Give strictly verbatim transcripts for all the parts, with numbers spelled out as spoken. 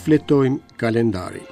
Shfletojmë kalendarin.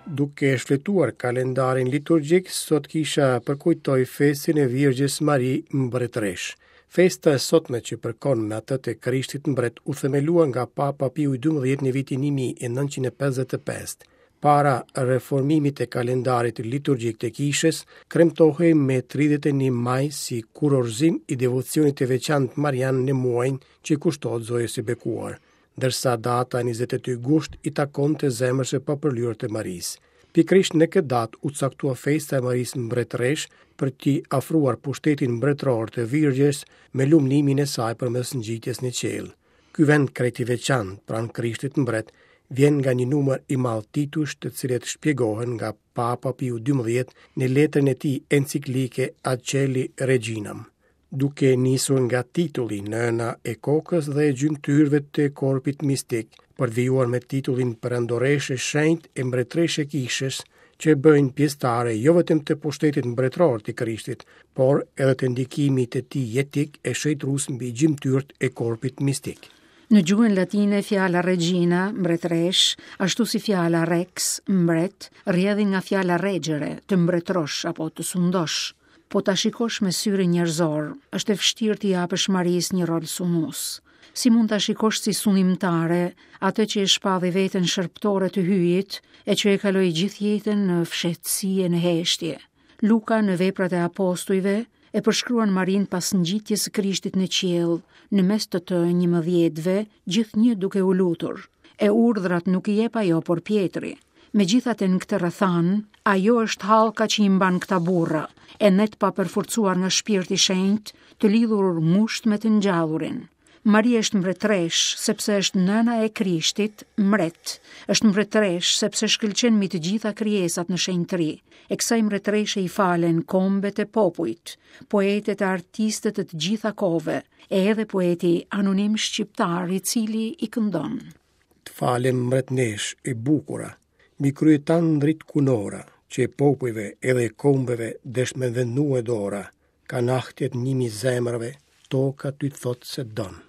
Duke shfletuar kalendarin liturgjik, sot kisha përkujtoi festën e Virgjës Mari Mbretëreshë. Festa e sotme që përkon me atë të Krishtit Mbret u themelua nga Papa Piu i dymbëdhjetë në vitin një mijë e nëntëqind e pesëdhjetë e pesë. Para reformimit të kalendarit liturgjik të kishës, kremtohej me tridhjetë e një maj si kurorzim i devocionit të veçantë marian në muajin që kushtohet Zojës së Bekuar, ndërsa data njëzet e dy gusht i takonte zemrës së papërlyer të Marisë. Pikërisht në këtë datë u caktua festa e Marisë Mbretëreshë për t'i afruar pushtetin mbretëror të Virgjës me lumnimin e saj përmes ngjitjes në qiell. Ky vend krejt i veçantë pranë Krishtit Mbret vjen nga një numër i madh titujsh të cilët shpjegohen nga Papa Piu dymbëdhjetë në letrën e tij enciklike Ad Caeli Reginam, duke nisur nga titulli Nëna e kokës dhe e gjymtyrëve të korpit mistik, për të vijuar me titullin Perandoreshë e Shenjtë e Mbretëreshë e Kishës, që e bëjnë pjesëtare jo vetëm të pushtetit mbretëror të Krishtit, por edhe të ndikimit të tij jetik e shenjtërues mbi gjymtyrët e korpit mistik. Në gjuhën latine fjala regina, mbretëresh, ashtu si fjala rex, mbret, rrjedhin nga fjala regjere, të mbretërosh apo të sundosh. Po ta shikosh me syrin njerëzor, është e vështirë t'i japësh Marisë një rol sundues. Si mund ta shikosh si sundimtare atë që e shpalli veten shërbëtore të hyjit e që e kaloi gjithë jetën në fshehtësi e në heshtje. Luka në veprat e apostujve e përshkruan Marinë pas ngjitjes së Krishtit në qiell, në mes të të njëmbëdhjetëve, gjithnjë duke u lutur. E urdhrat nuk i jep ajo, por Pjetri. Megjithatë në këtë rrethan, ajo është hallka që i mban këta burra, e net pa përforcuar nga shpirti i shenjtë, të lidhur ngushtë me të ngjallurin. Maria është mbretëresh, sepse është nëna e Krishtit, mbret. Është mbretëresh, sepse shkëlqen mbi të gjitha krijesat në shenjtëri. E kësaj mbretëreshe i falen kombet e popujt, poetet e artistët e të gjitha kohëve, e edhe poeti anonim shqiptar i cili i këndon. Të falem mbretnesh e bukura, mbi krye tan ndrit kunora, që e popujve edhe e kombeve desh me vendue dora, ka nahtjet një mijë zemrave, toka ty të thotë se don.